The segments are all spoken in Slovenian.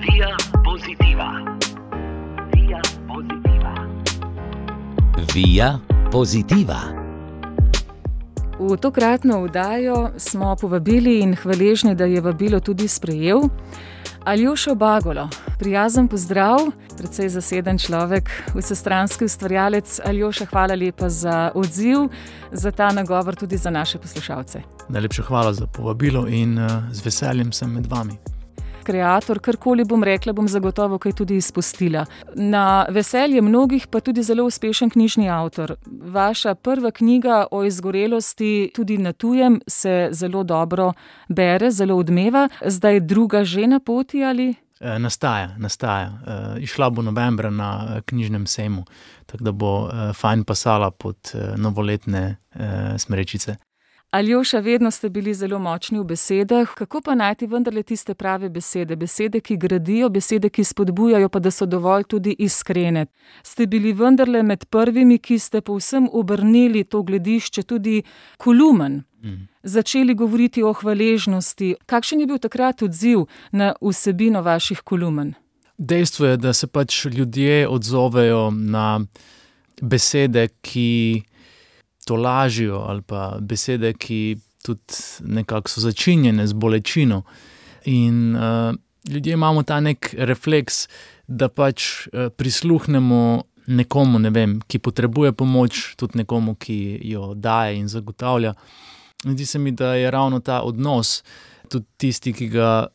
Via Positiva. Via Positiva. Via Positiva. V tokratno oddajo smo povabili in hvaležni, da je vabilo tudi sprejel Aljošo Bagolo. Prijazen pozdrav, precej zaseden človek, vsestranski ustvarjalec. Aljoša, hvala lepa za odziv, za ta nagovor tudi za naše poslušalce. Najlepša hvala za povabilo in z veseljem sem med vami. Kreator, karkoli bom rekla, bom zagotovo kaj tudi izpustila. Na veselje mnogih pa tudi zelo uspešen knjižni avtor. Vaša prva knjiga o izgorelosti tudi na tujem se zelo dobro bere, zelo odmeva. Zdaj druga že na poti ali? Nastaja. Išla bo novembra na knjižnem sejmu, tako da bo fajn pasala pod novoletne smrečice. Aljoša, vedno ste bili zelo močni v besedah. Kako pa najti vendarle tiste prave besede? Besede, ki gradijo, besede, ki spodbujajo, pa da so dovolj tudi iskrene. Ste bili vendarle med prvimi, ki ste povsem obrnili to gledišče tudi k Lumen. Začeli govoriti o hvaležnosti. Kakšen je bil takrat odziv na vsebino vaših kolumn? Dejstvo je, da se ljudje odzovejo na besede, ki tolažijo, ali pa besede, ki tudi nekako so začinjene z bolečino. In ljudje imamo ta nek refleks, da prisluhnemo nekomu, ki potrebuje pomoč, tudi nekomu, ki jo daje in zagotavlja. Zdi se mi, da je ravno ta odnos tudi tisti, ki ga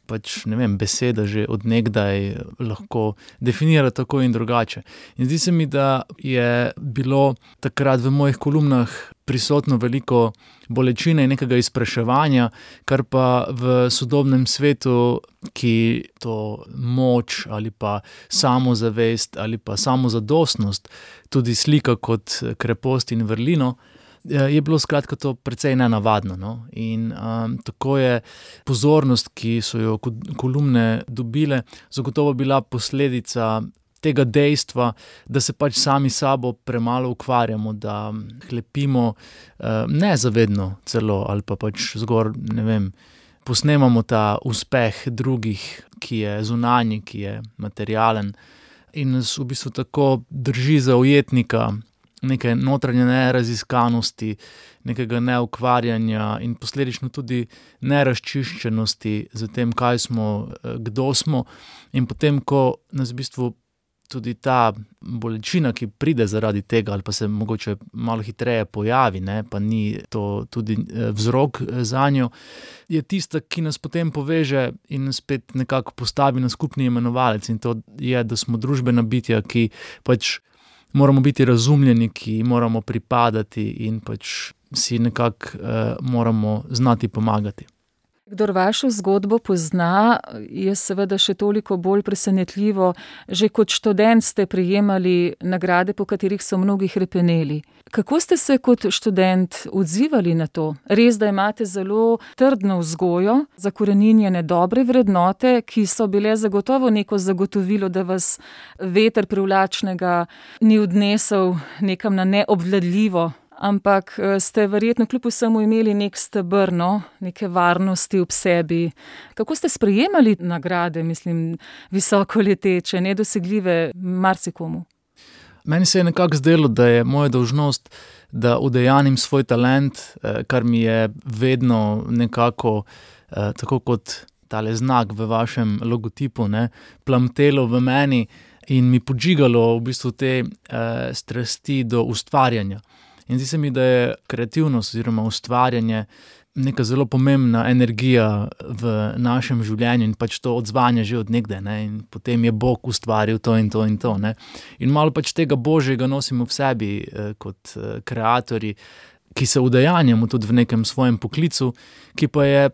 beseda že od nekdaj lahko definira tako in drugače. In zdi se mi, da je bilo takrat v mojih kolumnah prisotno veliko bolečine in nekega izpraševanja, kar pa v sodobnem svetu, ki to moč ali pa samozavest ali pa samozadostnost tudi slika kot krepost in vrlino, je bilo skratka to precej nenavadno. No? In tako je pozornost, ki so jo kolumne dobile, zagotovo bila posledica tega dejstva, da se sami sabo premalo ukvarjamo, da hlepimo nezavedno celo ali pa zgor, posnemamo ta uspeh drugih, ki je zunanji, ki je materialen in nas v bistvu tako drži za ujetnika neke notranje neraziskanosti, nekega neukvarjanja in posledično tudi nerazčiščenosti z tem, kaj smo, kdo smo. In potem, ko nas v bistvu tudi ta bolečina, ki pride zaradi tega ali pa se mogoče malo hitreje pojavi, pa ni to tudi vzrok zanjo, je tista, ki nas potem poveže in spet nekako postavi na skupni imenovalec. In to je, da smo družbena bitja, ki moramo biti razumljeni, ki moramo pripadati in si nekako moramo znati pomagati. Kdor vašo zgodbo pozna, je seveda še toliko bolj presenetljivo. Že kot študent ste prejemali nagrade, po katerih so mnogi hrepeneli. Kako ste se kot študent odzivali na to? Res, da imate zelo trdno vzgojo, zakoreninjene dobre vrednote, ki so bile zagotovo neko zagotovilo, da vas veter privlačnega ni odnesel nekam na neobvladljivo, ampak ste verjetno kljub vsemu imeli nek steber, neke varnosti ob sebi. Kako ste sprejemali nagrade, visoko leteče, nedosegljive marsikomu? Meni se je nekako zdelo, da je moja dolžnost, da udejanim svoj talent, kar mi je vedno nekako, tako kot tale znak v vašem logotipu, plamtelo v meni in mi podžigalo v bistvu te strasti do ustvarjanja. In zdi se mi, da je kreativnost oziroma ustvarjanje neka zelo pomembna energija v našem življenju in to odzvanja že od nekdaj. In potem je Bog ustvaril to in to in to. In malo tega Božjega nosimo v sebi kot kreatorji, ki se udejanjamo tudi v nekem svojem poklicu, ki pa je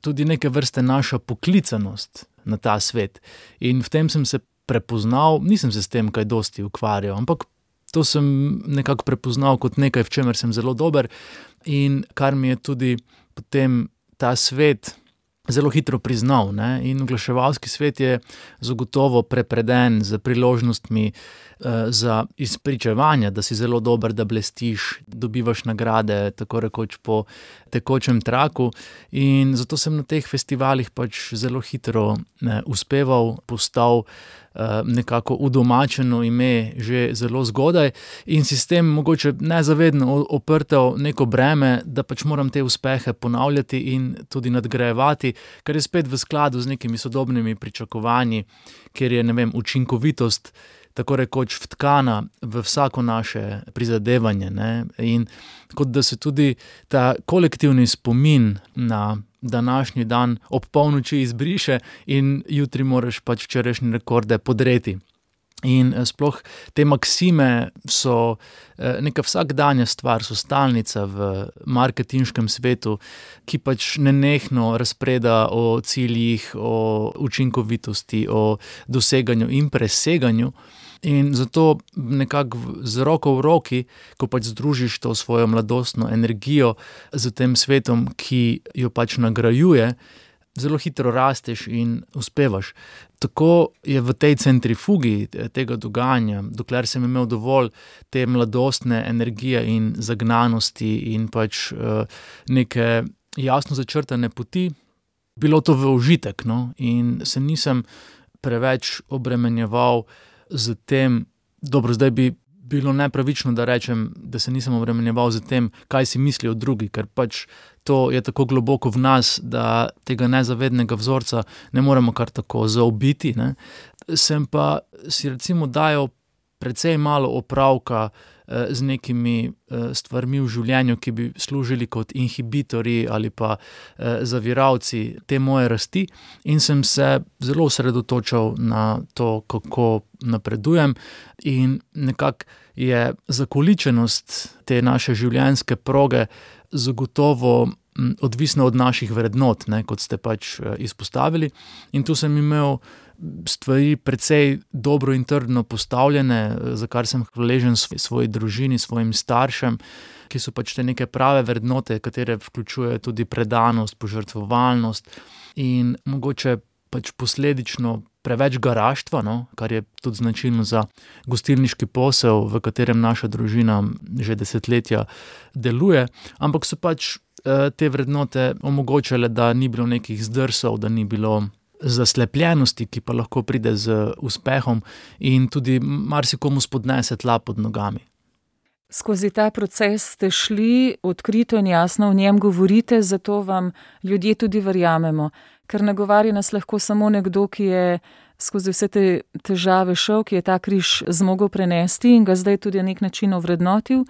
tudi neke vrste naša poklicanost na ta svet. In v tem sem se prepoznal, nisem se s tem kaj dosti ukvarjal, ampak to sem nekako prepoznal kot nekaj, v čemer sem zelo dober in kar mi je tudi potem ta svet zelo hitro priznal, ne? In oglaševalski svet je zagotovo prepreden z priložnostmi za izpričevanje, da si zelo dober, da blestiš, dobivaš nagrade tako rekoč po tekočem traku, in zato sem na teh festivalih pač zelo hitro uspeval, postal nekako udomačeno ime že zelo zgodaj in si s tem mogoče nezavedno oprtel neko breme, da pač moram te uspehe ponavljati in tudi nadgrajevati, kar je spet v skladu z nekimi sodobnimi pričakovanji, kjer je, učinkovitost tako rekoč vtkana v vsako naše prizadevanje, ne? In kot da se tudi ta kolektivni spomin na današnji dan ob polnoči izbriše in jutri moraš pač včerajšnje rekorde podreti. In sploh te maksime so neka vsakdanja stvar, so stalnica v marketinškem svetu, ki pač nenehno razpreda o ciljih, o učinkovitosti, o doseganju in preseganju. In zato nekako z roko v roki, ko pač združiš to svojo mladostno energijo z tem svetom, ki jo pač nagrajuje, zelo hitro rasteš in uspevaš. Tako je v tej centrifugi tega dogajanja, dokler sem imel dovolj te mladostne energije in zagnanosti in pač neke jasno začrtane poti, bilo to v užitek, no? In se nisem preveč obremenjeval z tem, dobro, zdaj bi bilo nepravično, da rečem, da se nisem obremenjeval z tem, kaj si mislijo drugi, ker pač to je tako globoko v nas, da tega nezavednega vzorca ne moremo kar tako zaobiti, ne. Sem pa si recimo dajal precej malo opravka z nekimi stvarmi v življenju, ki bi služili kot inhibitorji ali pa zaviralci te moje rasti, in sem se zelo osredotočal na to, kako napredujem, in nekako je zakoličenost te naše življenjske proge zagotovo odvisna od naših vrednot, ne, kot ste pač izpostavili, in tu sem imel stvari precej dobro in trdno postavljene, za kar sem hvaležen svoji družini, svojim staršem, ki so pač te neke prave vrednote, katere vključujejo tudi predanost, požrtvovalnost in mogoče pač posledično preveč garaštva, no, kar je tudi značilno za gostilniški posel, v katerem naša družina že desetletja deluje, ampak so pač te vrednote omogočale, da ni bilo nekih zdrsov, da ni bilo zaslepljenosti, ki pa lahko pride z uspehom in tudi marsikomu spodnese tla pod nogami. Skozi ta proces ste šli odkrito in jasno o njem govorite, zato vam ljudje tudi verjamemo, ker nagovarja nas lahko samo nekdo, ki je skozi vse te težave šel, ki je ta križ zmogel prenesti in ga zdaj tudi na nek način ovrednotil.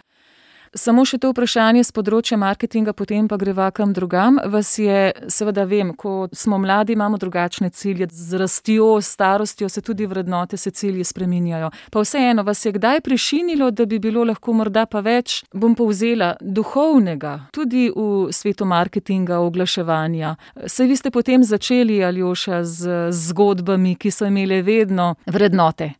Samo še to vprašanje z področja marketinga, potem pa greva kam drugam. Vas je, seveda vem, ko smo mladi, imamo drugačne cilje, z rastjo, starostjo se tudi vrednote, se cilji spreminjajo. Pa vseeno, vas je kdaj prešinilo, da bi bilo lahko morda pa več, bom povzela, duhovnega, tudi v svetu marketinga, oglaševanja. Saj vi ste potem začeli, Aljoša, z zgodbami, ki so imele vedno vrednote.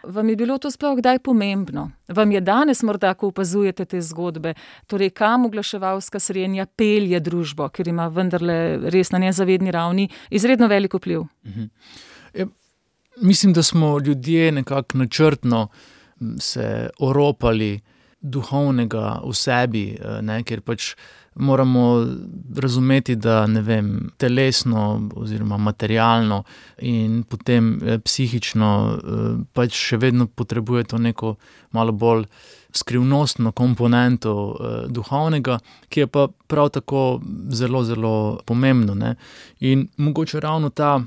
Vam je bilo to sploh kdaj pomembno? Vam je danes morda, ko opazujete te zgodbe, torej kam oglaševalska srenja pelje družbo, ker ima vendarle res na nezavedni ravni izredno velik vpliv? Ja, mislim, da smo ljudje nekako načrtno se oropali duhovnega v sebi, ne, ker pač moramo razumeti, da telesno oziroma materialno in potem psihično pač še vedno potrebuje to neko malo bolj skrivnostno komponento duhovnega, ki je pa prav tako zelo, zelo pomembno, ne. In mogoče ravno ta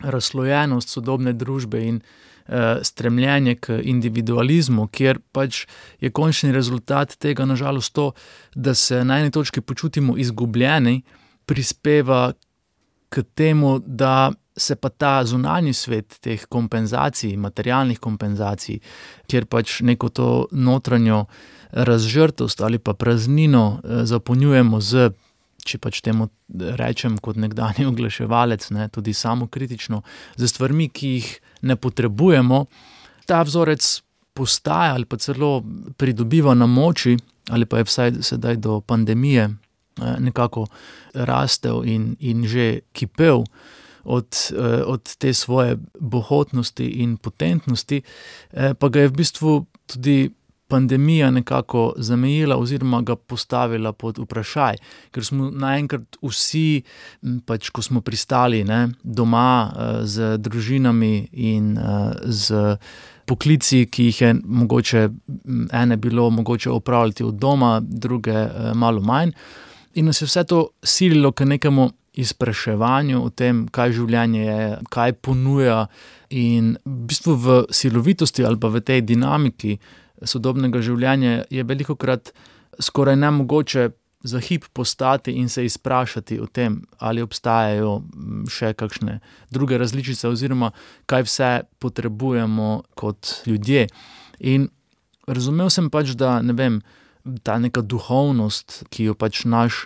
razslojenost sodobne družbe in stremljenje k individualizmu, kjer pač je končni rezultat tega na žalost to, da se na eni točki počutimo izgubljeni, prispeva k temu, da se pa ta zunanji svet teh kompenzacij, materialnih kompenzacij, kjer pač neko to notranjo razžrtost ali pa praznino zapolnjujemo z, če pač temu rečem kot nekdanji oglaševalec, ne, tudi samokritično, z stvarmi, ki jih ne potrebujemo, ta vzorec postaja ali pa celo pridobiva na moči, ali pa je vsaj sedaj do pandemije nekako rastel in že kipel od te svoje bohotnosti in potentnosti, pa ga je v bistvu tudi pandemija nekako zamejila oziroma ga postavila pod vprašaj, ker smo naenkrat vsi, pač ko smo pristali doma z družinami in z poklici, ki jih je mogoče ene bilo mogoče opravljati od doma, druge malo manj. In nas je vse to sililo k nekemu izpraševanju o tem, kaj življenje je, kaj ponuja, in v bistvu v silovitosti ali pa v tej dinamiki sodobnega življenja je velikokrat skoraj nemogoče za hip postati in se izprašati o tem, ali obstajajo še kakšne druge različice oziroma kaj vse potrebujemo kot ljudje. In razumel sem pač, da ta neka duhovnost, ki jo pač naš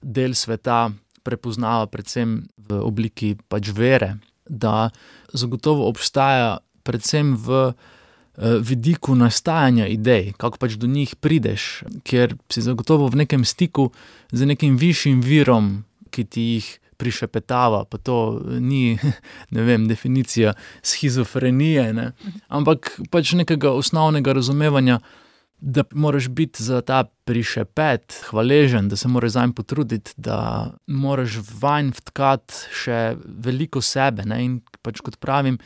del sveta prepoznava predvsem v obliki pač vere, da zagotovo obstaja predvsem v vidiku nastajanja idej, kako pač do njih prideš, ker si zagotovo v nekem stiku z nekim višjim virom, ki ti jih prišepetava, pa to ni, definicija shizofrenije, ampak pač nekega osnovnega razumevanja, da moraš biti za ta prišepet hvaležen, da se moraš zanj potruditi, da moraš vanj vtkati še veliko sebe, in pač kot pravim,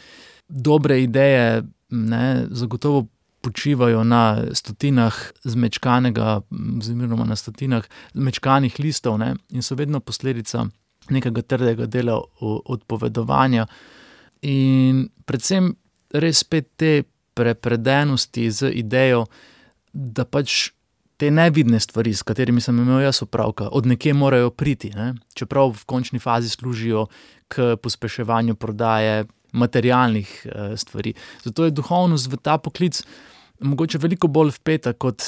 dobre ideje zagotovo počivajo na stotinah zmečkanega oziroma na stotinah zmečkanih listov, in so vedno posledica nekega trdega dela odpovedovanja in predvsem res spet te prepredenosti z idejo, da pač te nevidne stvari, s katerimi sem imel jaz opravka, od nekje morajo priti, čeprav v končni fazi služijo k pospeševanju prodaje materialnih stvari. Zato je duhovnost v ta poklic mogoče veliko bolj vpeta, kot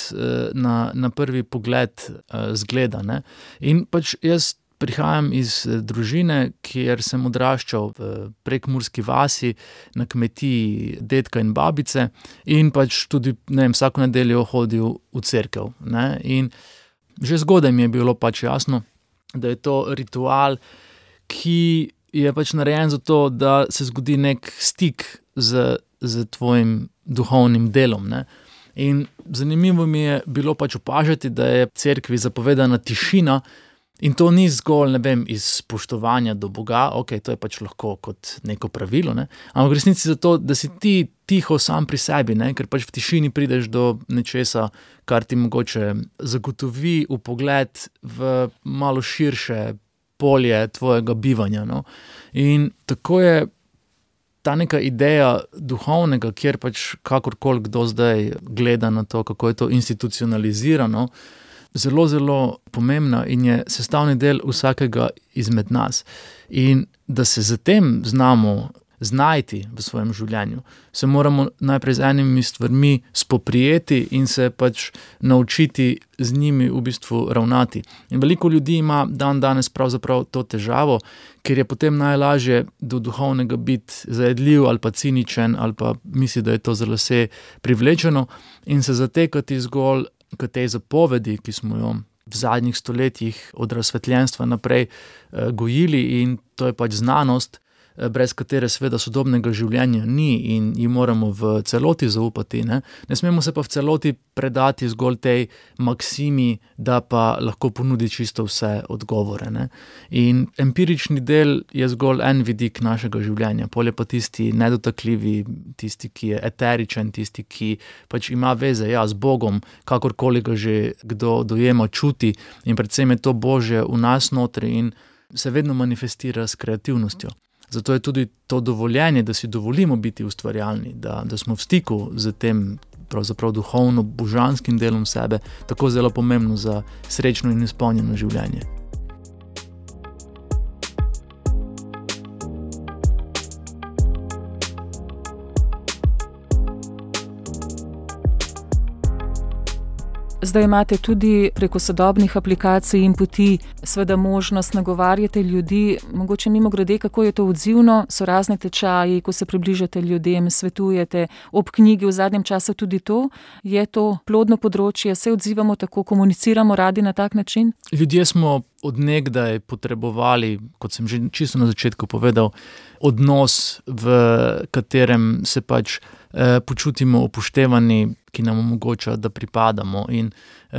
na prvi pogled zgleda. In pač jaz prihajam iz družine, kjer sem odraščal v prekmurski vasi na kmetiji dedka in babice in pač tudi vsako nedeljo hodil v cerkev. In že zgodaj mi je bilo pač jasno, da je to ritual, ki je pač narejen zato, da se zgodi nek stik z tvojim duhovnim delom. In zanimivo mi je bilo pač opažati, da je cerkvi zapovedana tišina in to ni zgolj, iz spoštovanja do Boga, to je pač lahko kot neko pravilo, ampak v resnici zato, da si ti tiho sam pri sebi, ker pač v tišini prideš do nečesa, kar ti mogoče zagotovi vpogled v malo širše polje tvojega bivanja. In tako je ta neka ideja duhovnega, kjer pač kakorkoli kdo zdaj gleda na to, kako je to institucionalizirano, zelo, zelo pomembna in je sestavni del vsakega izmed nas. In da se za tem znamo znajti v svojem življenju, se moramo najprej z enimi stvarmi spoprijeti in se pač naučiti z njimi v bistvu ravnati. In veliko ljudi ima danes pravzaprav to težavo, ker je potem najlažje do duhovnega biti zajedljiv ali pa ciničen ali pa misli, da je to za lase privlečeno in se zatekati zgolj k tej zapovedi, ki smo jo v zadnjih stoletjih od razsvetljenstva naprej gojili, in to je pač znanost, brez katere seveda sodobnega življenja ni in ji moramo v celoti zaupati. Ne smemo se pa v celoti predati zgolj tej maksimi, da pa lahko ponudi čisto vse odgovore. In empirični del je zgolj en vidik našega življenja, pol je pa tisti nedotakljivi, tisti, ki je eteričen, tisti, ki pač ima veze z Bogom, kakorkoli ga že kdo dojema, čuti, in predvsem je to Božje v nas notri in se vedno manifestira s kreativnostjo. Zato je tudi to dovoljenje, da si dovolimo biti ustvarjalni, da smo v stiku z tem pravzaprav duhovno, božanskim delom sebe, tako zelo pomembno za srečno in izpolnjeno življenje. Zdaj imate tudi preko sodobnih aplikacij in poti seveda možnost nagovarjati ljudi, mogoče mimogrede, kako je to odzivno, so razne tečaji, ko se približate ljudem, svetujete, ob knjigi v zadnjem času tudi to, je to plodno področje, se odzivamo tako, komuniciramo radi na tak način? Ljudje smo od nekdaj potrebovali, kot sem že čisto na začetku povedal, odnos, v katerem se pač počutimo upoštevani, ki nam omogoča, da pripadamo. In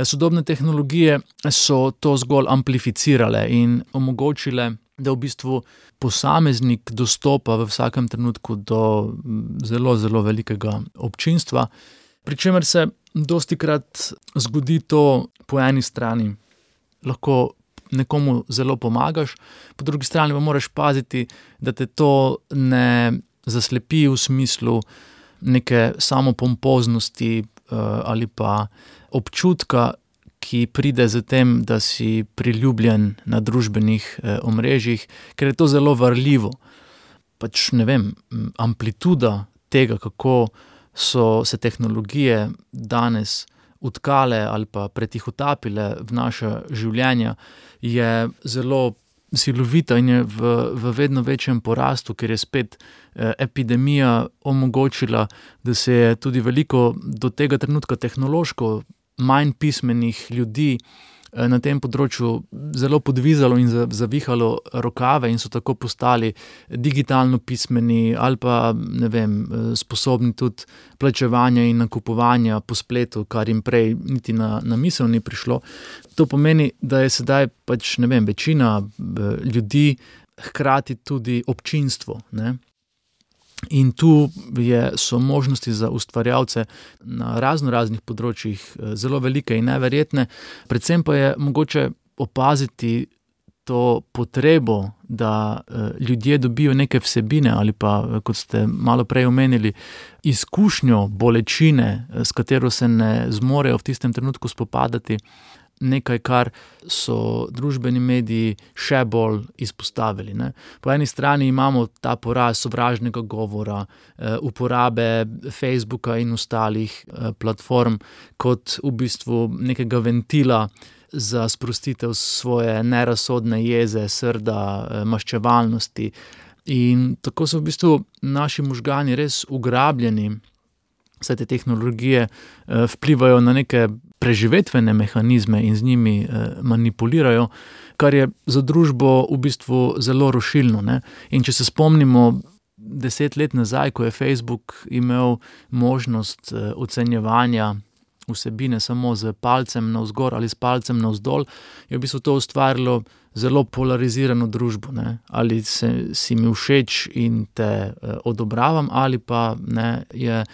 sodobne tehnologije so to zgolj amplificirale in omogočile, da v bistvu posameznik dostopa v vsakem trenutku do zelo, zelo velikega občinstva, pri čemer se dostikrat zgodi to po eni strani, lahko nekomu zelo pomagaš, po drugi strani pa moraš paziti, da te to ne zaslepi v smislu neke samopompoznosti ali pa občutka, ki pride z tem, da si priljubljen na družbenih omrežjih, ker je to zelo varljivo. Pač ne vem, amplituda tega, kako so se tehnologije danes utkale ali pa pretihotapile v naša življenja, je zelo silovita in je v vedno večjem porastu, ker je spet epidemija omogočila, da se je tudi veliko do tega trenutka tehnološko manj pismenih ljudi na tem področju zelo podvizalo in zavihalo rokave in so tako postali digitalno pismeni ali pa, ne vem, sposobni tudi plačevanja in nakupovanja po spletu, kar jim prej niti na misel ni prišlo. To pomeni, da je sedaj pač, ne vem, večina ljudi hkrati tudi občinstvo, ne. In tu so možnosti za ustvarjalce na raznih področjih zelo velike in neverjetne. Predvsem pa je mogoče opaziti to potrebo, da ljudje dobijo neke vsebine ali pa, kot ste malo prej omenili, izkušnjo bolečine, s katero se ne zmorejo v tistem trenutku spopadati, nekaj, kar so družbeni mediji še bolj izpostavili, ne. Po eni strani imamo ta porast sovražnega govora, uporabe Facebooka in ostalih platform kot v bistvu nekega ventila za sprostitev svoje nerazsodne jeze, srda, maščevalnosti. In tako so v bistvu naši možgani res ugrabljeni, saj te tehnologije vplivajo na neke preživetvene mehanizme in z njimi manipulirajo, kar je za družbo v bistvu zelo rušilno, ne. In če se spomnimo 10 let nazaj, ko je Facebook imel možnost ocenjevanja vsebine samo z palcem navzgor ali s palcem navzdol, je v bistvu to ustvarilo zelo polarizirano družbo, ne. Ali si mi všeč in te odobravam ali pa, ne, je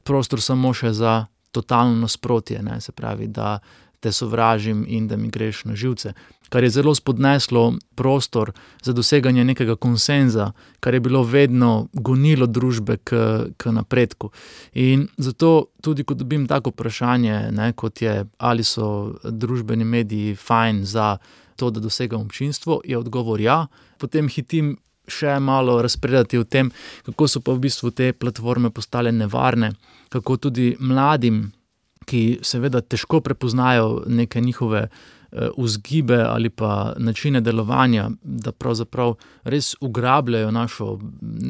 prostor samo še za totalno nasprotje, ne, se pravi, da te sovražim in da mi greš na živce, kar je zelo spodneslo prostor za doseganje nekega konsenza, kar je bilo vedno gonilo družbe k napredku. In zato tudi, ko dobim tako vprašanje, ne, kot je, ali so družbeni mediji fajn za to, da dosegam občinstvo, je odgovor ja, potem hitim še malo razpredati o tem, kako so pa v bistvu te platforme postale nevarne, kako tudi mladim, ki seveda težko prepoznajo neke njihove vzgibe ali pa načine delovanja, da pravzaprav res ugrabljajo našo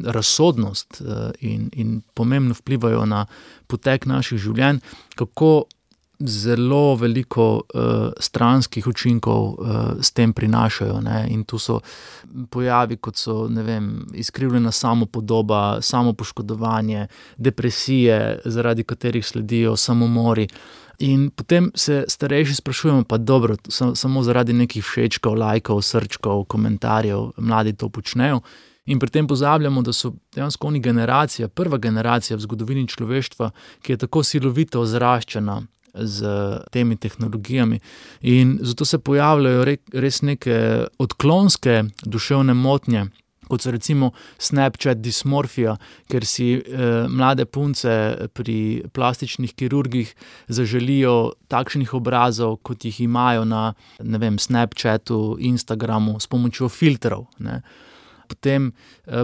razsodnost in pomembno vplivajo na potek naših življenj, kako zelo veliko stranskih učinkov s tem prinašajo, ne. In tu so pojavi, kot so, ne vem, izkrivljena samopodoba, samopoškodovanje, depresije, zaradi katerih sledijo samomori. In potem se starejši sprašujemo, pa dobro, samo zaradi nekih všečkov, lajkov, srčkov, komentarjev, mladi to počnejo. In pri tem pozabljamo, da so dejansko oni generacija, prva generacija v zgodovini človeštva, ki je tako silovito zraščena z temi tehnologijami. In zato se pojavljajo res neke odklonske duševne motnje, kot so recimo Snapchat dismorfija, ker si mlade punce pri plastičnih kirurgih zaželijo takšnih obrazov, kot jih imajo na, ne vem, Snapchatu, Instagramu, s pomočjo filtrov, ne. Potem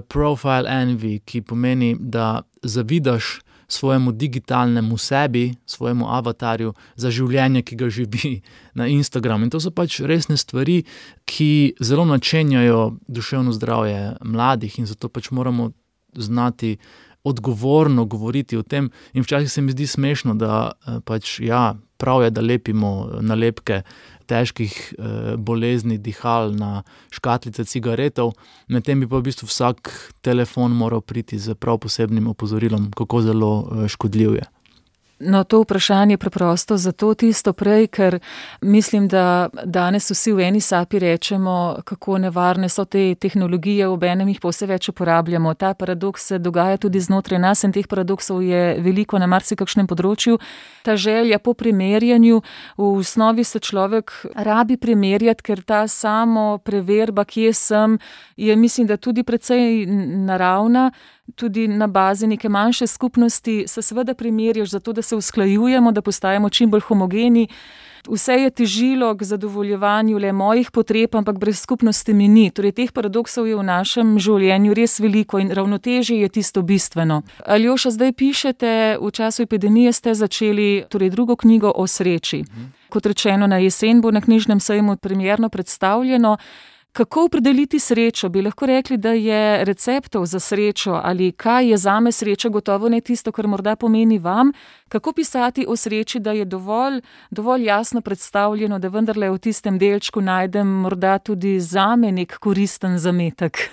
profile envy, ki pomeni, da zavidaš svojemu digitalnemu sebi, svojemu avatarju za življenje, ki ga živi na Instagramu. In to so pač resne stvari, ki zelo načenjajo duševno zdravje mladih in zato pač moramo znati odgovorno govoriti o tem. In včasih se mi zdi smešno, da pač prav je, da lepimo nalepke težkih bolezni dihal na škatlice cigaretov, medtem bi pa v bistvu vsak telefon moral priti z prav posebnim opozorilom, kako zelo škodljiv je. No, to vprašanje preprosto zato tisto prej, ker mislim, da danes vsi v eni sapi rečemo, kako nevarne so te tehnologije, obenem jih pa vse več uporabljamo. Ta paradoks se dogaja tudi znotraj nas in teh paradoksov je veliko na marsikakšnem področju. Ta želja po primerjanju, v osnovi se človek rabi primerjati, ker ta samo preverba, kje sem, je mislim, da tudi precej naravna. Tudi na bazi neke manjše skupnosti se seveda primerjaš zato, da se usklajujemo, da postajamo čim bolj homogeni. Vse je težilo k zadovoljevanju le mojih potreb, ampak brez skupnosti mi ni. Torej, teh paradoksov je v našem življenju res veliko in ravnotežje je tisto bistveno. Aljoša, zdaj pišete, v času epidemije ste začeli drugo knjigo o sreči. Kot rečeno, na jesen bo na knjižnem sejmu premierno predstavljeno. Kako opredeliti srečo? Bi lahko rekli, da je receptov za srečo ali kaj je zame sreča, gotovo ne tisto, kar morda pomeni vam. Kako pisati o sreči, da je dovolj jasno predstavljeno, da vendarle v tistem delčku najdem morda tudi zame nek koristen zametek?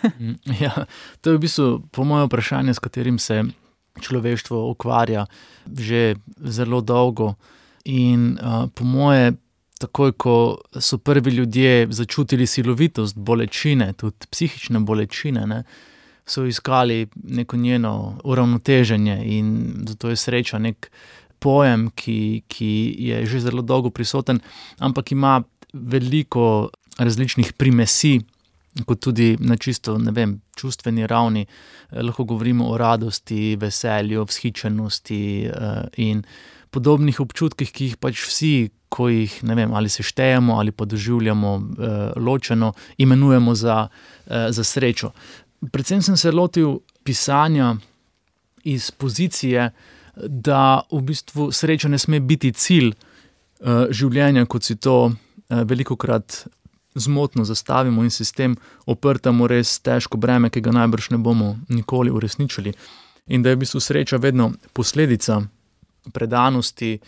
Ja, to je v bistvu po moje vprašanje, s katerim se človeštvo ukvarja že zelo dolgo in po moje takoj, ko so prvi ljudje začutili silovitost bolečine, tudi psihične bolečine, so iskali neko njeno uravnoteženje in zato je sreča nek pojem, ki je že zelo dolgo prisoten, ampak ima veliko različnih primesi, kot tudi na čisto, čustveni ravni. Lahko govorimo o radosti, veselju, vzhičenosti in podobnih občutkih, ki jih pač vsi, ko jih, ali se štejemo ali pa doživljamo ločeno, imenujemo za srečo. Predvsem sem se lotil pisanja iz pozicije, da v bistvu sreča ne sme biti cilj življenja, kot si to velikokrat zmotno zastavimo in si s tem oprtamo res težko breme, ki ga najbrž ne bomo nikoli uresničili. In da je v bistvu sreča vedno posledica predanosti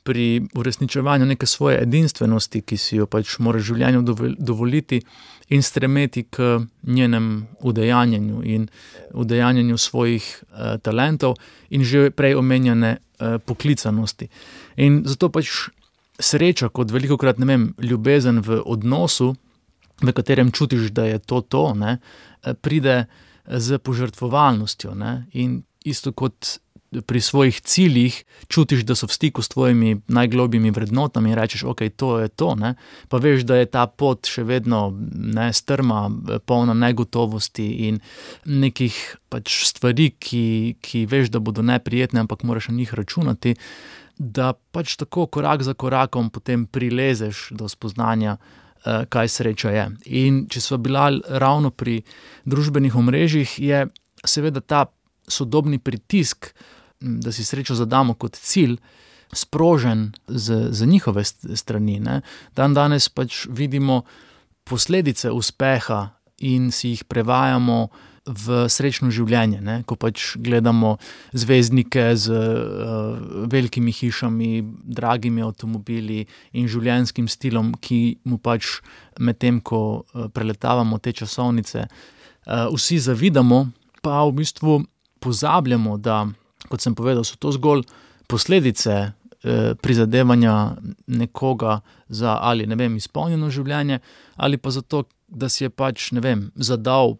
pri uresničevanju neke svoje edinstvenosti, ki si jo pač mora življenju dovoliti in stremeti k njenem udejanjenju in udejanjenju svojih talentov in že prej omenjene poklicanosti. In zato pač sreča kot velikokrat, ljubezen v odnosu, v katerem čutiš, da je to, pride z požrtvovalnostjo, in isto kot pri svojih ciljih čutiš, da so v stiku s tvojimi najglobjimi vrednotami in rečeš, to je to, pa veš, da je ta pot še vedno strma, polna negotovosti in nekih pač stvari, ki veš, da bodo neprijetne, ampak moraš na njih računati, da pač tako korak za korakom potem prilezeš do spoznanja, kaj sreča je. In če sva bila ravno pri družbenih omrežjih, je seveda ta sodobni pritisk, da si srečo zadamo kot cilj, sprožen z njihove strani. Danes pač vidimo posledice uspeha in si jih prevajamo v srečno življenje, ko pač gledamo zvezdnike z velikimi hišami, dragimi avtomobili in življenjskim stilom, ki mu pač medtem, ko preletavamo te časovnice, vsi zavidamo, pa v bistvu pozabljamo, da, kot sem povedal, so to zgolj posledice prizadevanja nekoga za ali, izpolnjeno življenje, ali pa zato, da si je pač, zadal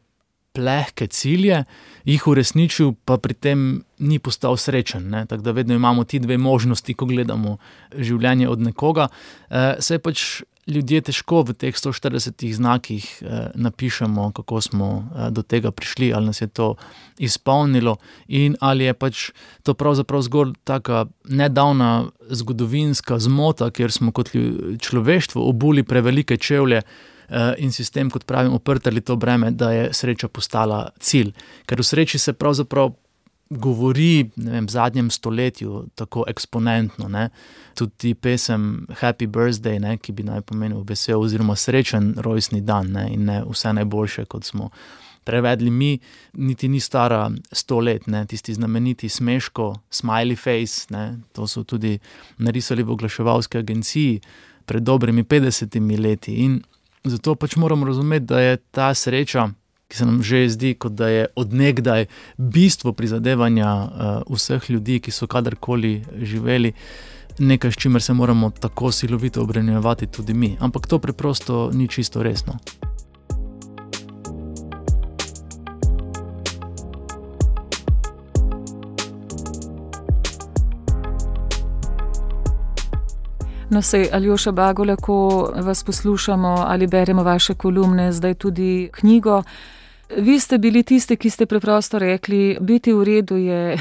plehke cilje, jih uresničil, pa pri tem ni postal srečen. Tako da vedno imamo ti dve možnosti, ko gledamo življenje od nekoga. Saj pač ljudje težko v teh 140 znakih napišemo, kako smo do tega prišli, ali nas je to izpolnilo in ali je pač to pravzaprav zgolj taka nedavna zgodovinska zmota, kjer smo kot človeštvo obuli prevelike čevlje in si s tem, kot pravim, oprtali to breme, da je sreča postala cilj. Ker v sreči se pravzaprav govori, ne vem, v zadnjem stoletju tako eksponentno, ne. Tudi pesem Happy Birthday, ne, ki bi naj pomenil vesel oziroma srečen rojstni dan, ne, in ne vse najboljše, kot smo prevedli mi, niti ni stara 100 let, ne, tisti znameniti Smeško, smiley face, ne, to so tudi narisali v oglaševalski agenciji pred dobrimi 50 leti in zato pač moramo razumeti, da je ta sreča, ki se nam že zdi, kot da je od nekdaj bistvo prizadevanja vseh ljudi, ki so kadarkoli živeli, nekaj, s čimer se moramo tako silovito obremenjevati tudi mi. Ampak to preprosto ni čisto resno. No, sej, Aljoša Bagole, ko vas poslušamo ali beremo vaše kolumne, zdaj tudi knjigo, vi ste bili tisti, ki ste preprosto rekli, biti v redu je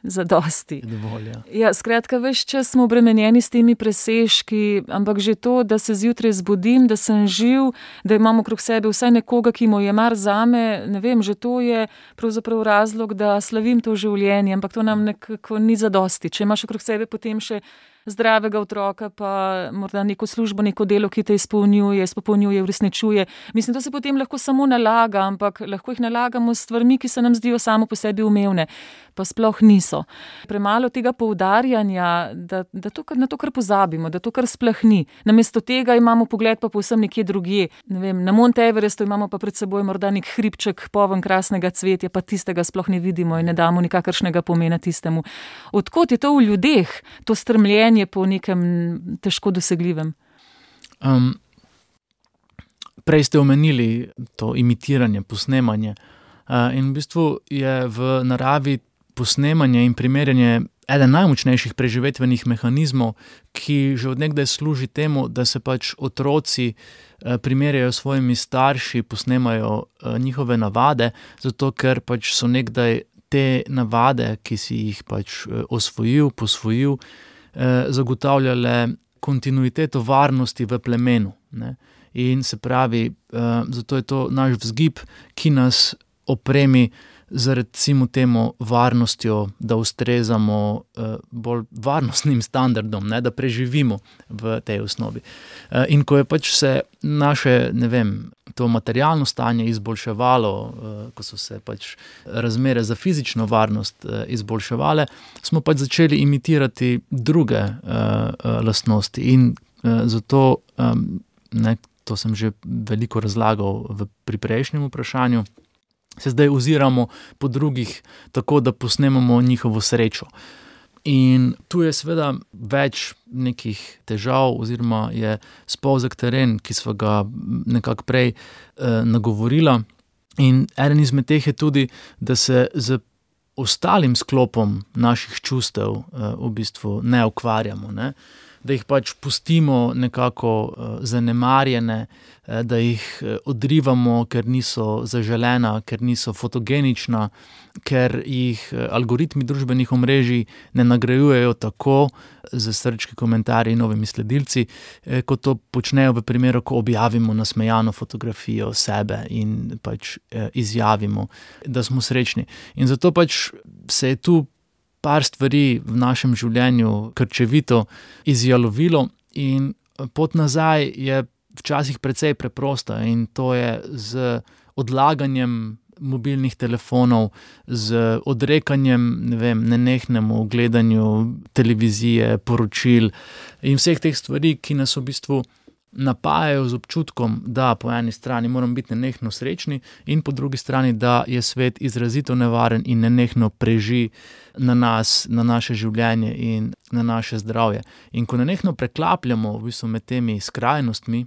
zadosti. Dovolj, ja. Ja, skratka, ves čas smo obremenjeni s temi presežki, ampak že to, da se zjutraj zbudim, da sem živ, da imam okrog sebe vsaj nekoga, ki mu je mar zame, ne vem, že to je pravzaprav razlog, da slavim to življenje, ampak to nam nekako ni zadosti. Če imaš okrog sebe potem še zdravega otroka, pa morda neko službo, neko delo, ki te izpopolnjuje, uresničuje. Mislim, to se potem lahko samo nalaga, ampak lahko jih nalagamo s stvarmi, ki se nam zdijo samo po sebi umevne, pa sploh niso. Premalo tega poudarjanja, da na to kar pozabimo, da to kar splahni. Namesto tega imamo pogled pa povsem nekje drugje. Ne vem, na Mount Everestu imamo pa pred seboj morda nek hribček poln krasnega cvetja, pa tistega sploh ne vidimo in ne damo nikakršnega pomena tistemu. Odkot je to v ljudeh, to stremljenje po nekem težko dosegljivem? Prej ste omenili to imitiranje, posnemanje. In v bistvu je v naravi posnemanje in primerjanje eden najmočnejših preživetvenih mehanizmov, ki že od nekdaj služi temu, da se pač otroci primerjajo s svojimi starši, posnemajo njihove navade, zato ker pač so nekdaj te navade, ki si jih pač posvojil, zagotavljale kontinuiteto varnosti v plemenu, ne. In se pravi, zato je to naš vzgib, ki nas opremi z recimo temu varnostjo, da ustrezamo bolj varnostnim standardom, ne, da preživimo v tej osnovi. In ko je pač se naše, ne vem, to materialno stanje izboljševalo, ko so se pač razmere za fizično varnost izboljševale, smo pač začeli imitirati druge lastnosti in zato, ne, to sem že veliko razlagal pri prejšnjem vprašanju, se zdaj oziramo po drugih tako, da posnemamo njihovo srečo. In tu je seveda več nekih težav oziroma je spolzek teren, ki sva ga nekako prej nagovorila. In eden izmed teh je tudi, da se z ostalim sklopom naših čustev v bistvu ne ukvarjamo, ne. Da jih pač pustimo nekako zanemarjene, da jih odrivamo, ker niso zaželena, ker niso fotogenična, ker jih algoritmi družbenih omrežij ne nagrajujejo tako z srčki, komentarji in novimi sledilci, kot to počnejo v primeru, ko objavimo nasmejano fotografijo sebe in pač izjavimo, da smo srečni. In zato pač se je tu par stvari v našem življenju krčevito izjalovilo in pot nazaj je včasih precej preprosta in to je z odlaganjem mobilnih telefonov, z odrekanjem, ne vem, nenehnemu gledanju televizije, poročil in vseh teh stvari, ki nas v bistvu napajajo z občutkom, da po eni strani moramo biti nenehno srečni in po drugi strani, da je svet izrazito nevaren in nenehno preži na nas, na naše življenje in na naše zdravje. In ko nenehno preklapljamo v bistvu med temi skrajnostmi,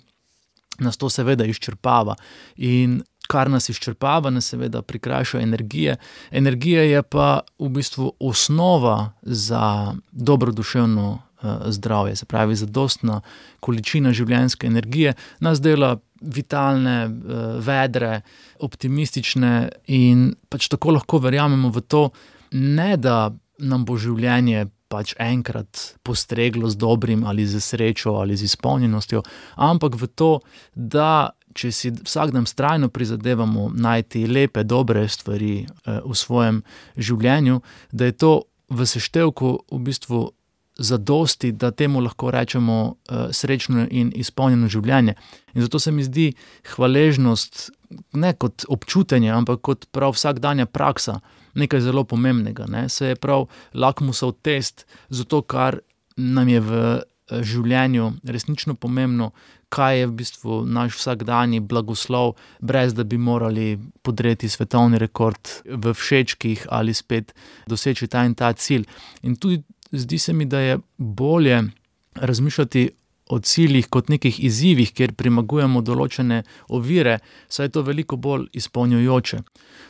nas to seveda izčrpava. In kar nas izčrpava, nas seveda prikrajša energije. Energija je pa v bistvu osnova za dobroduševno zdravje, se pravi zadostna količina življenjske energije nas dela vitalne, vedre, optimistične in pač tako lahko verjamemo v to, ne da nam bo življenje pač enkrat postreglo z dobrim ali z srečo ali z izpolnjenostjo, ampak v to, da če si vsak dan vztrajno prizadevamo najti lepe, dobre stvari v svojem življenju, da je to v seštevku v bistvu zadosti, da temu lahko rečemo srečno in izpolnjeno življenje. In zato se mi zdi hvaležnost ne kot občutenje, ampak kot prav vsakdanja praksa nekaj zelo pomembnega. Ne? Se je prav lakmusov test za to, kar nam je v življenju resnično pomembno, kaj je v bistvu naš vsakdanji blagoslov, brez da bi morali podreti svetovni rekord v všečkih ali spet doseči ta in ta cilj. In tudi zdi se mi, da je bolje razmišljati o ciljih kot nekih izzivih, kjer premagujemo določene ovire, saj je to veliko bolj izpolnjujoče.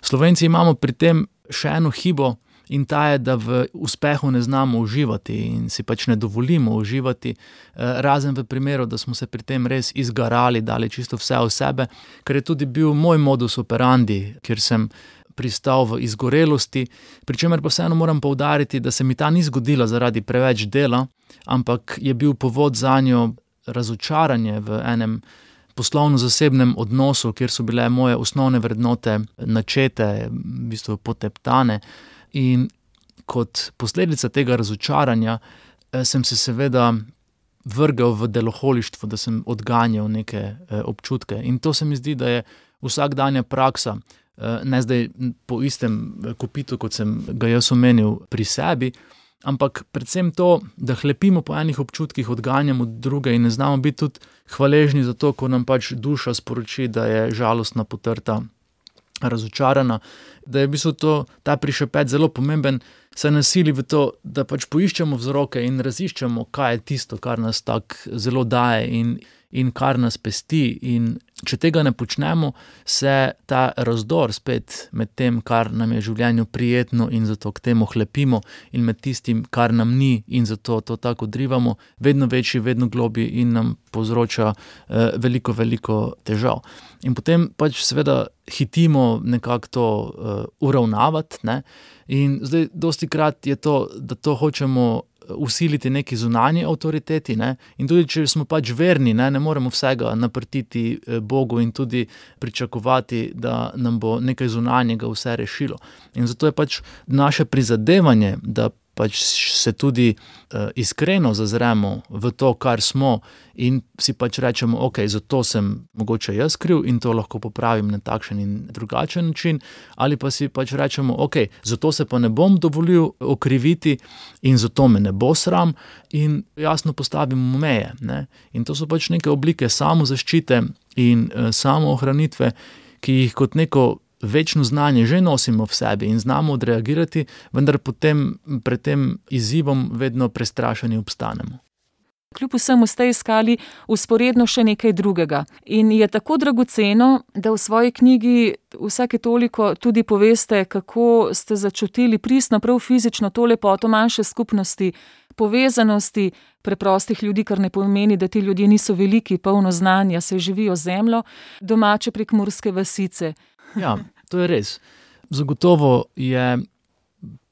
Slovenci imamo pri tem še eno hibo, in ta je, da v uspehu ne znamo uživati in si pač ne dovolimo uživati, razen v primeru, da smo se pri tem res izgarali, dali čisto vse od sebe, ker je tudi bil moj modus operandi, kjer sem pristal v izgorelosti, pri čemer pa vseeno moram poudariti, da se mi ta ni zgodila zaradi preveč dela, ampak je bil povod zanjo razočaranje v enem poslovno-zasebnem odnosu, kjer so bile moje osnovne vrednote načete, v bistvu poteptane. In kot posledica tega razočaranja sem se seveda vrgel v deloholištvo, da sem odganjal neke občutke. In to se mi zdi, da je vsakdanja praksa, ne zdaj po istem kopitu, kot sem ga jaz omenil pri sebi, ampak predvsem to, da hlepimo po enih občutkih, odganjamo druge in ne znamo biti tudi hvaležni za to, ko nam pač duša sporoči, da je žalostna, potrta, razočarana, da je v bistvu ta prišepet zelo pomemben, se nasili v to, da pač poiščemo vzroke in raziščemo, kaj je tisto, kar nas tako zelo daje in kar nas pesti. In če tega ne počnemo, se ta razdor spet med tem, kar nam je v življenju prijetno in zato k temu hlepimo, in med tistim, kar nam ni in zato to tako odrivamo, vedno večji, vedno globji in nam povzroča veliko, veliko težav. In potem pač seveda hitimo nekako to uravnavati, ne? In zdaj dostikrat je to, da to hočemo usiliti neki zunanji avtoriteti, ne? In tudi, če smo pač verni, ne moremo vsega naprtiti Bogu in tudi pričakovati, da nam bo nekaj zunanjega vse rešilo. In zato je pač naše prizadevanje, da pač se tudi iskreno zazremo v to, kar smo, in si pač rečemo, ok, zato sem mogoče jaz kriv in to lahko popravim na takšen in drugačen način, ali pa si pač rečemo, ok, zato se pa ne bom dovolil okriviti in zato me ne bo sram, in jasno postavimo meje, ne. In to so pač neke oblike samozaščite in samoohranitve, ki jih kot neko večno znanje že nosimo v sebi in znamo odreagirati, vendar potem pred tem izzivom vedno prestrašeni obstanemo. Kljub vsemu ste iskali vzporedno še nekaj drugega. In je tako dragoceno, da v svoji knjigi vsake toliko tudi poveste, kako ste začutili pristno, prav fizično to lepoto manjše skupnosti, povezanosti preprostih ljudi, kar ne pomeni, da ti ljudje niso veliki, polno znanja, se živijo zemljo, domače prekmurske vasice. Ja, to je res. Zagotovo je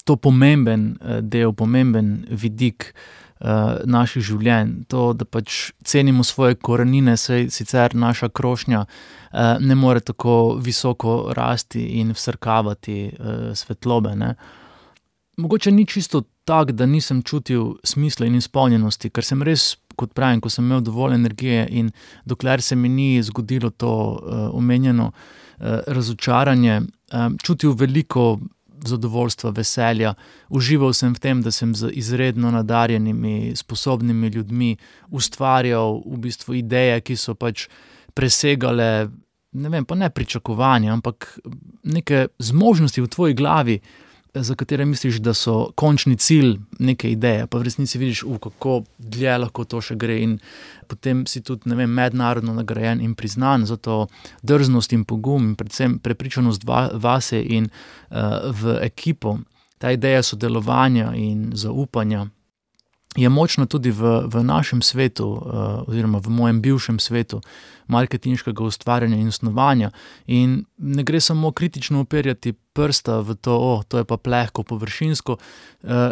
to pomemben del, pomemben vidik naših življenj. To, da pač cenimo svoje korenine, saj sicer naša krošnja ne more tako visoko rasti in vsrkavati svetlobe, ne. Mogoče ni čisto tak, da nisem čutil smisla in izpolnjenosti, ker sem res, kot pravim, ko sem imel dovolj energije in dokler se mi ni zgodilo to omenjeno razočaranje, čutil veliko zadovoljstva, veselja. Užival sem v tem, da sem z izredno nadarjenimi, sposobnimi ljudmi ustvarjal v bistvu ideje, ki so pač presegale, ne vem, pa ne pričakovanja, ampak neke zmožnosti v tvoji glavi, za katere misliš, da so končni cilj neke ideje, pa v resnici vidiš, kako dlje lahko to še gre, in potem si tudi, ne vem, mednarodno nagrajen in priznan za to drznost in pogum in predvsem prepričanost vase in v ekipo. Ta ideja sodelovanja in zaupanja je močna tudi v našem svetu, oziroma v mojem bivšem svetu marketinškega ustvarjanja in snovanja. In ne gre samo kritično uperjati prsta v to, to je pa plehko, površinsko,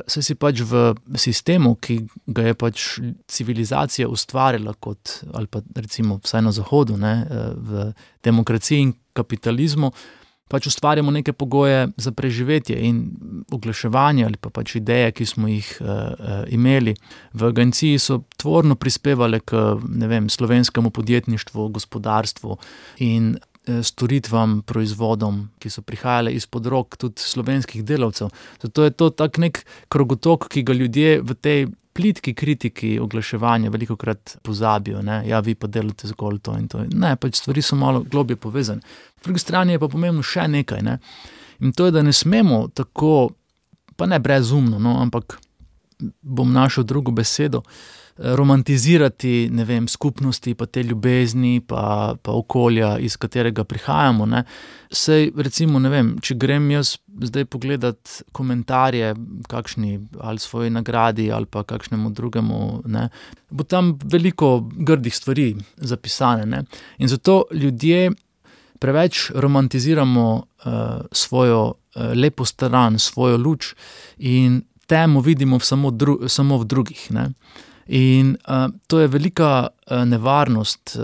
saj si pač v sistemu, ki ga je pač civilizacija ustvarila kot, ali pa recimo vsaj na Zahodu, ne, v demokraciji in kapitalizmu, pač ustvarjamo neke pogoje za preživetje in oglaševanje ali pa pač ideje, ki smo jih imeli v agenciji, so tvorno prispevale k, ne vem, slovenskemu podjetništvu, gospodarstvu in storitvam, proizvodom, ki so prihajale izpod rok tudi slovenskih delavcev. Zato je to tak nek krogotok, ki ga ljudje v tej plitki kritiki oglaševanja velikokrat pozabijo, ne, ja, vi pa delate zgolj to in to. Ne, pač stvari so malo globje povezane. Po drugi strani je pa pomembno še nekaj, ne, in to je, da ne smemo tako, pa ne brezumno, no, ampak bom našel drugo besedo, romantizirati, ne vem, skupnosti, pa te ljubezni, pa okolja, iz katerega prihajamo, ne. Sej, recimo, ne vem, če grem jaz zdaj pogledat komentarje kakšni ali svoji nagradi ali pa kakšnemu drugemu, ne, bo tam veliko grdih stvari zapisane, ne. In zato ljudje preveč romantiziramo svojo lepo stran, svojo luč in temo vidimo samo v drugih, ne. In to je velika nevarnost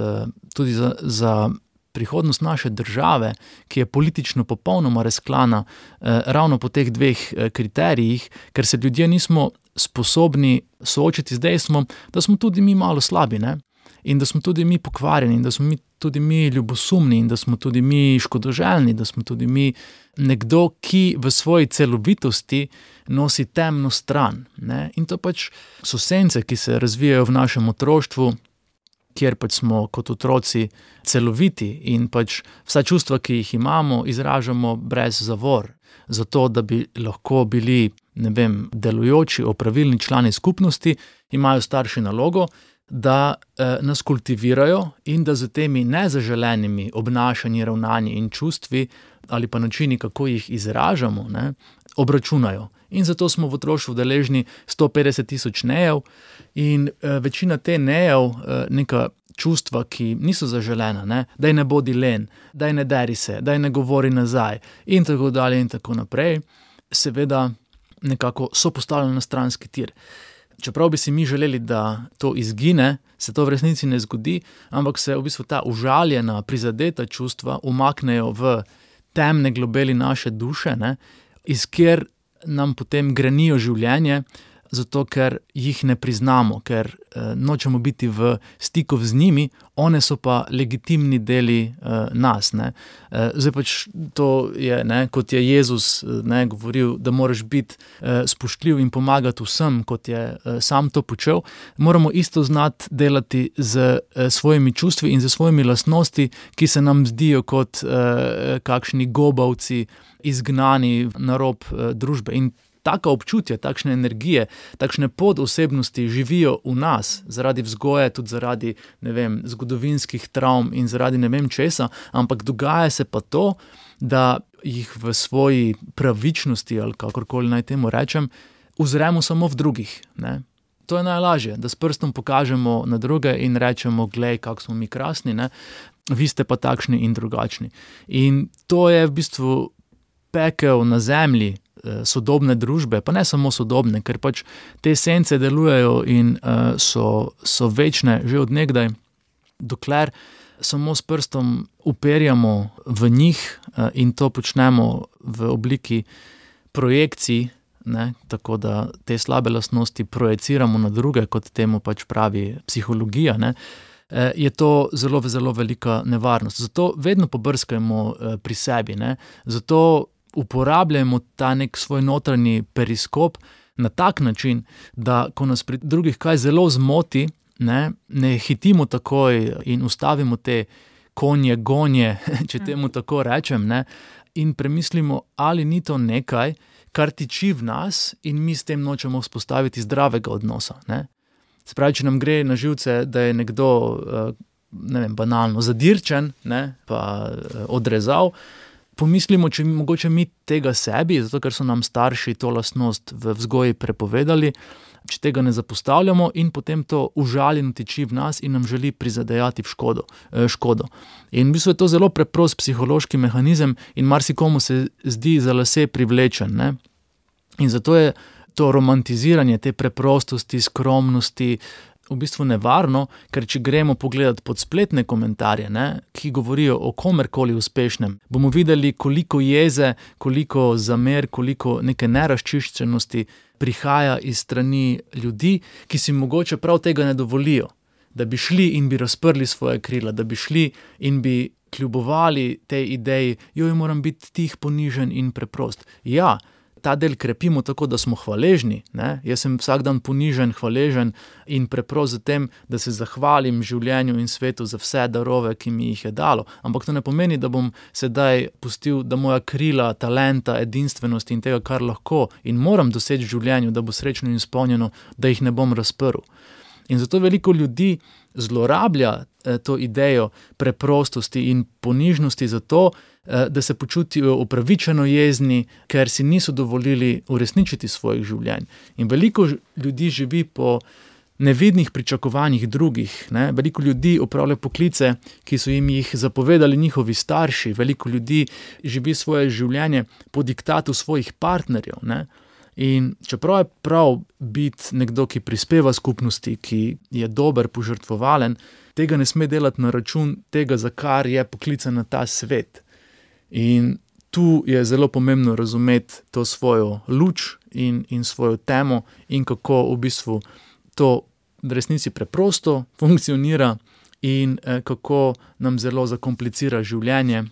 tudi za prihodnost naše države, ki je politično popolnoma razklana ravno po teh dveh kriterijih, ker se ljudje nismo sposobni soočiti z dejstvom, da smo tudi mi malo slabi, ne? In da smo tudi mi pokvarjeni, in da smo tudi mi ljubosumni, in da smo tudi mi škodoželjni, da smo tudi mi nekdo, ki v svoji celovitosti nosi temno stran, ne? In to pač so sence, ki se razvijajo v našem otroštvu, kjer pač smo kot otroci celoviti in pač vsa čustva, ki jih imamo, izražamo brez zavor, zato da bi lahko bili, ne vem, delujoči, opravilni člani skupnosti, imajo starši nalogo, da nas kultivirajo in da z temi nezaželenimi obnašanji, ravnanji in čustvi ali pa načini, kako jih izražamo, ne, obračunajo. In zato smo v otroštvu deležni 150 000 nejev in večina te nejev, neka čustva, ki niso zaželena, ne, daj ne bodi len, daj ne deri se, daj ne govori nazaj in tako dalje in tako naprej, seveda nekako so postavljene na stranski tir. Čeprav bi si mi želeli, da to izgine, se to v resnici ne zgodi, ampak se v bistvu ta užaljena, prizadeta čustva umaknejo v temne globeli naše duše, ne, iz kjer nam potem grenijo življenje, zato ker jih ne priznamo, ker nočemo biti v stiku z njimi, one so pa legitimni deli nas, ne. Zdaj pač to je, ne, kot je Jezus, ne, govoril, da moraš biti spoštljiv in pomagati vsem, kot je sam to počel, moramo isto znati delati z svojimi čustvi in z svojimi lastnosti, ki se nam zdijo kot kakšni gobavci, izgnani na rob družbe. In taka občutja, takšne energije, takšne podosebnosti živijo v nas, zaradi vzgoje, tudi zaradi, ne vem, zgodovinskih travm in zaradi ne vem česa, ampak dogaja se pa to, da jih v svoji pravičnosti, ali kakorkoli naj temu rečem, uzremo samo v drugih, ne. To je najlažje, da s prstom pokažemo na druge in rečemo, glej, kako smo mi krasni, ne, vi ste pa takšni in drugačni. In to je v bistvu pekel na zemlji sodobne družbe, pa ne samo sodobne, ker pač te sence delujejo in so večne že od nekdaj, dokler samo s prstom uperjamo v njih in to počnemo v obliki projekcij, ne, tako da te slabe lastnosti projeciramo na druge, kot temu pač pravi psihologija, ne, je to zelo, zelo velika nevarnost. Zato vedno pobrskajmo pri sebi, ne, zato uporabljamo ta nek svoj notranji periskop na tak način, da ko nas pri drugih kaj zelo zmoti, ne hitimo takoj in ustavimo te konje, gonje, če temu tako rečem, ne, in premislimo, ali ni to nekaj, kar tiči v nas in mi s tem nočemo vzpostaviti zdravega odnosa, ne. Se pravi, če nam gre na živce, da je nekdo, ne vem, banalno zadirčen, ne, pa odrezal, pomislimo, če mogoče mi tega sebi, zato ker so nam starši to lastnost v vzgoji prepovedali, če tega ne zapostavljamo in potem to užaljeno tiči v nas in nam želi prizadejati škodo. In v bistvu je to zelo preprost psihološki mehanizem in marsikomu se zdi za lase privlečen, ne? In zato je to romantiziranje te preprostosti, skromnosti v bistvu nevarno, ker če gremo pogledati pod spletne komentarje, ne, ki govorijo o komerkoli uspešnem, bomo videli, koliko jeze, koliko zamer, koliko neke neraščiščenosti prihaja iz strani ljudi, ki si mogoče prav tega ne dovolijo, da bi šli in bi razprli svoje krila, da bi šli in bi kljubovali tej ideji, moram biti tih, ponižen in preprost. Ja, ta del krepimo tako, da smo hvaležni, ne? Jaz sem vsak dan ponižen, hvaležen in preprost za tem, da se zahvalim življenju in svetu za vse darove, ki mi jih je dalo. Ampak to ne pomeni, da bom sedaj pustil, da moja krila, talenta, edinstvenosti in tega, kar lahko in moram doseči v življenju, da bo srečno in izpolnjeno, da jih ne bom razprl. In zato veliko ljudi zlorablja to idejo preprostosti in ponižnosti zato, da se počutijo upravičeno jezni, ker si niso dovolili uresničiti svojih življenj. In veliko ljudi živi po nevidnih pričakovanjih drugih, ne? Veliko ljudi opravlja poklice, ki so jim jih zapovedali njihovi starši, veliko ljudi živi svoje življenje po diktatu svojih partnerjev, ne? In čeprav je prav biti nekdo, ki prispeva skupnosti, ki je dober, požrtvovalen, tega ne sme delati na račun tega, za kar je poklican na ta svet. In tu je zelo pomembno razumeti to svojo luč in svojo temo in kako v bistvu to v resnici preprosto funkcionira in kako nam zelo zakomplicira življenje,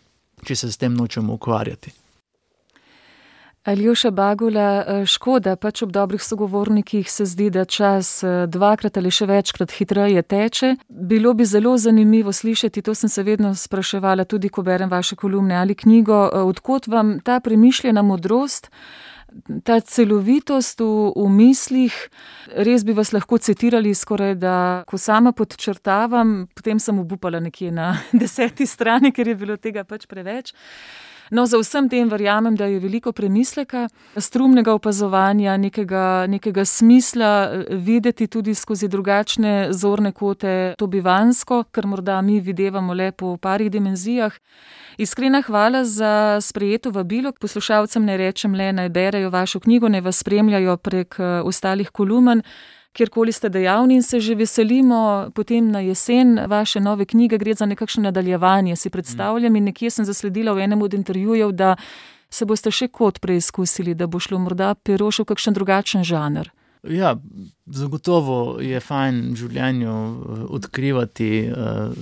če se s tem nočemo ukvarjati. Aljoša Bagula, škoda, pač ob dobrih sogovornikih se zdi, da čas dvakrat ali še večkrat hitreje teče. Bilo bi zelo zanimivo slišati, to sem se vedno spraševala, tudi ko berem vaše kolumne ali knjigo, odkot vam ta premišljena modrost, ta celovitost v mislih. Res bi vas lahko citirali skoraj, da ko sama podčrtavam, potem sem obupala nekje na 10. strani, ker je bilo tega pač preveč. No, za vsem tem verjamem, da je veliko premisleka, strumnega opazovanja, nekega smisla videti tudi skozi drugačne zorne kote, to bivansko, kar morda mi videvamo le po parih dimenzijah. Iskrena hvala za sprejeto vabilo. Poslušalcem ne rečem le, naj berejo vašo knjigo, naj vas spremljajo prek ostalih kolumen, kjerkoli ste dejavni in se že veselimo potem na jesen vaše nove knjige, gre za nekakšno nadaljevanje, si predstavljam, in nekje sem zasledila v enem od intervjujev, da se boste še kot preizkusili, da bo šlo morda pero še v kakšen drugačen žanr. Ja, zagotovo je fajn v življenju odkrivati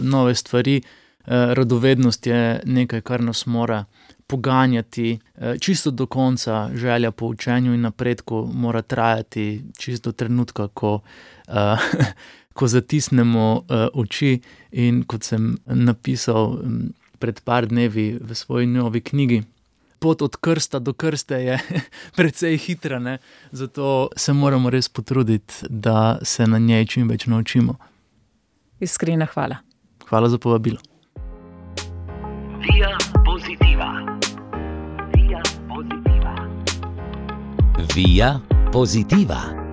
nove stvari. Radovednost je nekaj, kar nas mora poganjati čisto do konca. Želja po učenju in napredku mora trajati čisto do trenutka, ko zatisnemo oči. In kot sem napisal pred par dnevi v svoji novi knjigi, pot od krsta do krste je precej hitra, ne? Zato se moramo res potruditi, da se na njej čim več naučimo. Iskrena hvala. Hvala za povabilo. Via Positiva. Via Positiva. Via Positiva.